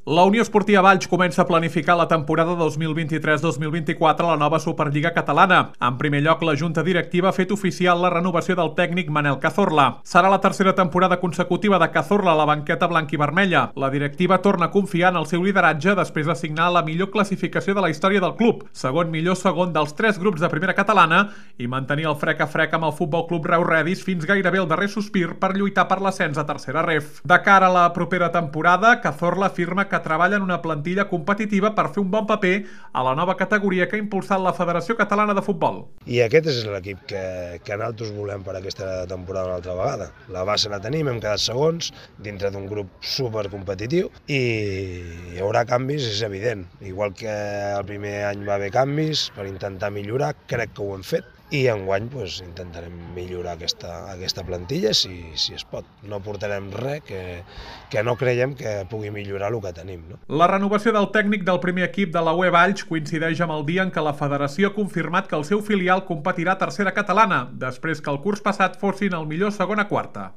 La Unió Esportiva Valls comença a planificar la temporada 2023-2024 a la nova Superliga Catalana. En primer lloc, la Junta Directiva ha fet oficial la renovació del tècnic Manel Cazorla. Serà la tercera temporada consecutiva de Cazorla a la banqueta blanc i vermella. La directiva torna a confiar en el seu lideratge després de signar la millor classificació de la història del club, segon millor segon dels 3 grups de primera catalana i mantenir el frec a frec amb el Futbol Club Reus Redis fins gairebé el darrer sospir per lluitar per l'ascens a tercera ref. De cara a la propera temporada, Cazorla afirma que treballa en una plantilla competitiva per fer un bon paper a la nova categoria que ha impulsat la Federació Catalana de Futbol. I aquest és l'equip que nosaltres volem per aquesta temporada una altra vegada. La base la tenim, hem quedat segons, dintre d'un grup supercompetitiu i hi haurà canvis, és evident. Igual que el primer any va haver canvis per intentar millorar, crec que ho hem fet. I enguany intentarem millorar aquesta plantilla si es pot. No portarem res que no creiem que pugui millorar el que tenim. No? La renovació del tècnic del primer equip de la UE Valls coincideix amb el dia en què la federació ha confirmat que el seu filial competirà a tercera catalana, després que el curs passat fossin el millor segona quarta.